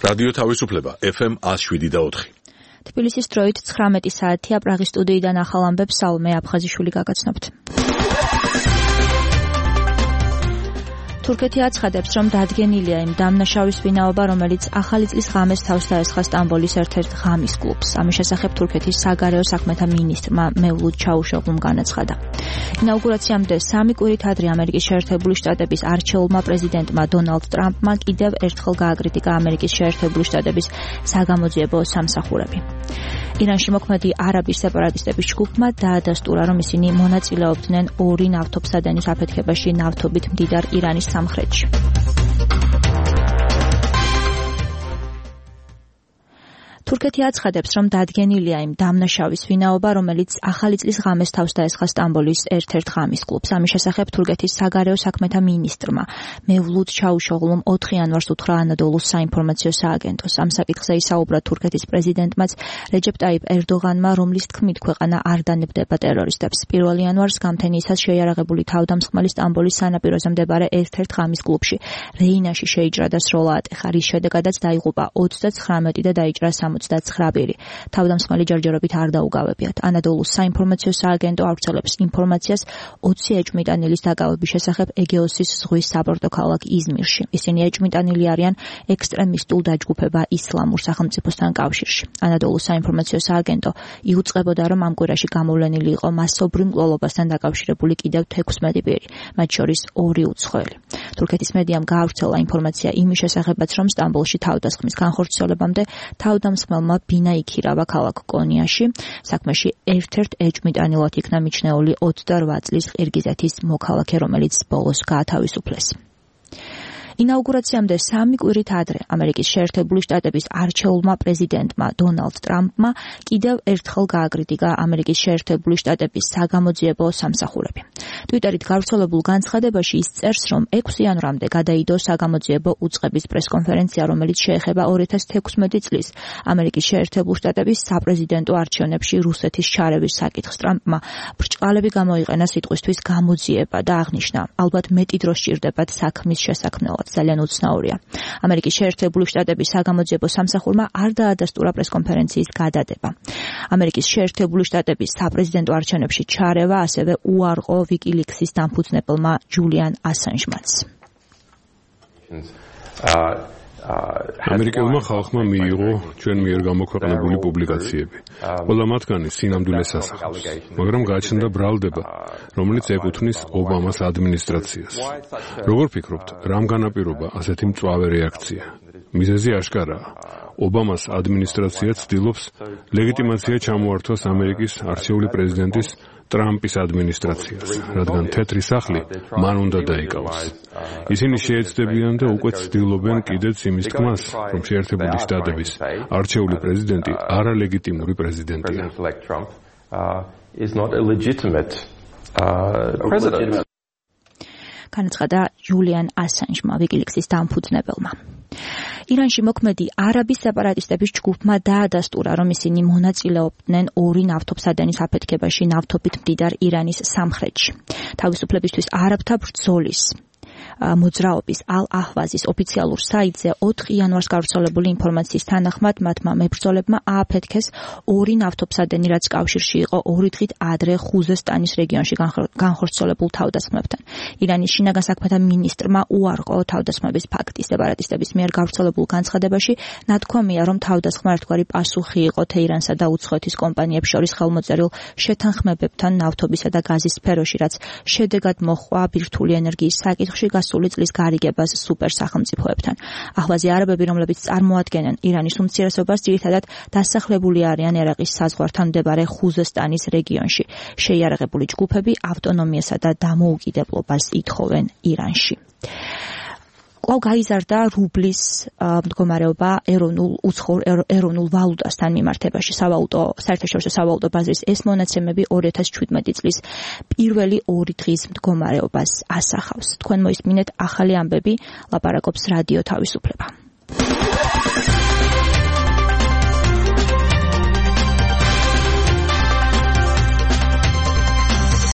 რადიო თავისუფლება FM 107.4. თბილისის დროით 19 საათია. პრაღის სტუდიიდან ახალ ამბებს სალომე აფხაზიშვილი გაგაცნობთ. თურქეთი აცხადებს, რომ დადგენილია იმ დამნაშავის ვინაობა, რომელიც ახალი წლის ღამეს თავს დაესხა სტამბოლის ერთ-ერთ ღამის კლუბს. ამის შესახებ თურქეთის საგარეო საქმეთა მინისტრმა მევლუდ ჩაუშოღლუმ განაცხადა. ინაუგურაციამდე 3 კვირით ადრე ამერიკის შეერთებული შტატების არჩეულმა პრეზიდენტმა დონალდ ტრამპმა კიდევ ერთხელ გააკრიტიკა ამერიკის შეერთებული შტატების საგამოძიებო სამსახურები. ირანში მოქმედი არაბის სეპარატისტების ჯგუფმა დაადასტურა, რომ ისინი მონაწილეობდნენ 2 ნავთობსადენის აფეთქებაში ნავთობით მდიდარ ირანის სამხრეთში. თურქეთი აცხადებს, რომ დადგენილია იმ დამნაშავის ვინაობა, რომელიც ახალი წლის ღამეს თავს დაესხა სტამბოლის ერთ-ერთ ღამის კლუბს. ამის შესახებ თურქეთის საგარეო საქმეთა მინისტრმა მევლუდ ჩაუშოღლუმ 4 იანვარს უთხრა ანადოლუს საინფორმაციო სააგენტოს. ამ საკითხზე ისაუბრა თურქეთის პრეზიდენტმაც რეჯეპ ტაიპ ერდოღანმა, რომლის თქმით ქვეყანა არ დანებდება ტერორისტებს. 1 იანვარს გამთენიისას შეიარაღებული თავდამსხმელი სტამბოლის სანაპიროზე მდებარე ერთ-ერთ ღამის კლუბში რეინაში შეიჭრა და სროლა ატეხა, რის შედეგადაც დაიღუპა 39 და დაიჭრა 69 თავდამსხმელი ჯერჯერობით არ დაუგავებიათ. ანადოლუს საინფორმაციო სააგენტო ავრცელებს ინფორმაციას 20 ეჭვმიტანილის დაკავების შესახებ ეგეოსის ზღვის საბორტო ქალაქ იზმირში. ისინი ეჭვმიტანილი არიან ექსტრემისტულ დაჯგუფება ისლამურ სახელმწიფოსთან კავშირში. ანადოლუს საინფორმაციო სააგენტო იუწყებოდა, რომ ამ კვირაში გამოვლენილი იყო მასობრივ მკვლელობასთან დაკავშირებული კიდევ 16 პირი, მათ შორის 2 უცხოელი. თურქეთის მედიამ გაავრცელა ინფორმაცია იმის შესახებაც, რომ სტამბოლში თავდასხმის განხორციელებამდე თავდამსხმელმა ბინა იქირავა ქალაქ კონიაში. საქმეში ერთ-ერთ ეჭვმიტანილად იქნა მიჩნეული 28 წლის ყირგიზეთის მოქალაქე, რომელიც ბოლოს გაათავისუფლეს. ინაუგურაციამდე 3 კვირით ადრე ამერიკის შეერთებული შტატების არჩეულმა პრეზიდენტმა დონალდ ტრამპმა კიდევ ერთხელ გააკრიტიკა ამერიკის შეერთებული შტატების საგამოძიებო სამსახურები. ტვიტერით გავრცელებულ განცხადებაში ის წერს, რომ 6 იანვრამდე გადაიდო საგამოძიებო უწყების პრესკონფერენცია, რომელიც შეეხება 2016 წლის ამერიკის შეერთებული შტატების საპრეზიდენტო არჩევნებში რუსეთის ჩარევის საკითხს. ტრამპმა ბრჭყალები გამოიყენა სიტყვისთვის გამოძიება და აღნიშნა, ალბათ მეტი დრო სჭირდებათ საქმის შესაქმნელად. ძალიან უცნაურია. ამერიკის შეერთებული შტატების საგამოძიებო სამსახურმა არ დაადასტურა პრესკონფერენციის გადადება. ამერიკის შეერთებული შტატების საპრეზიდენტო არჩევნებში ჩარევა ასევე უარყო ვიკილიქსის დამფუძნებელმა ჯულიან ასანჟმაც. ამერიკელმა ხალხმა მიიღო ჩვენ მიერ გამოქვეყნებული პუბლიკაციები. ყველა მათგანი სინამდვილეს ასახავს, მაგრამ გააჩნდა ბრალდება, რომელიც ეკუთვნის ობამას ადმინისტრაციას. როგორ ფიქრობთ, რამ განაპირობა ასეთი მწვავე რეაქცია? მიზეზი აშკარაა. ობამას ადმინისტრაცია ცდილობს ლეგიტიმაცია ჩამოართვას ამერიკის არჩეული პრეზიდენტის ტრამპის ადმინისტრაციას, რადგან თეთრი სახლი მან უნდა დაიკავოს. ისინი შეეცდებიან და უკვე ცდილობენ კიდეც იმის თქმას, რომ შეერთებული შტატების არჩეული პრეზიდენტი არალეგიტიმური პრეზიდენტია. განაცხადა ჯულიან ასანჟმა, ვიკილიქსის დამფუძნებელმა. ირანში მოქმედი არაბის სეპარატისტების ჯგუფმა დაადასტურა, რომ ისინი მონაწილეობდნენ 2 ნავთობსადენის აფეთქებაში ნავთობით მდიდარ ირანის სამხრეთში. თავისუფლებისთვის არაბთა ბრძოლის მოძრაობის ალ-აჰვაზის ოფიციალურ საიტზე 4 იანვარს გავრცელებული ინფორმაციის თანახმად მათმა მებრძოლებმა ააფეთქეს 2 ნავთობსადენი, რაც კავშირში იყო 2 დღით ადრე ხუზესტანის რეგიონში განხორციელებულ თავდასხმებთან. ირანის შინაგან საქმეთა მინისტრმა უარყო თავდასხმების ფაქტი. სეპარატისტების მიერ გავრცელებულ განცხადებაში ნათქვამია, რომ თავდასხმა ერთგვარი პასუხი იყო თეირანსა და უცხოეთის კომპანიებს შორის ხელმოწერილ შეთანხმებებთან ნავთობისა და გაზის სფეროში, რაც შედეგად მოჰყვა ბირთვული ენერგიის საკითხში გასული წლის გარიგებას სუპერ სახელმწიფოებთან. აჰვაზი არაბები, რომლებიც წარმოადგენენ ირანის უმცირესობას, ძირითადად დასახლებული არიან ერაყის საზღვართან მდებარე ხუზესტანის რეგიონში. შეიარაღებული ჯგუფები ავტონომიასა და დამოუკიდებლობას ითხოვენ ირანში. კვლავ გაიზარდა რუბლის მდგომარეობა ეროვნულ ვალუტასთან მიმართებაში. საერთაშორისო სავალუტო ბაზრის ეს მონაცემები 2017 წლის პირველი 2 დღის მდგომარეობას ასახავს. თქვენ მოისმინეთ ახალი ამბები, ლაპარაკობს რადიო თავისუფლება.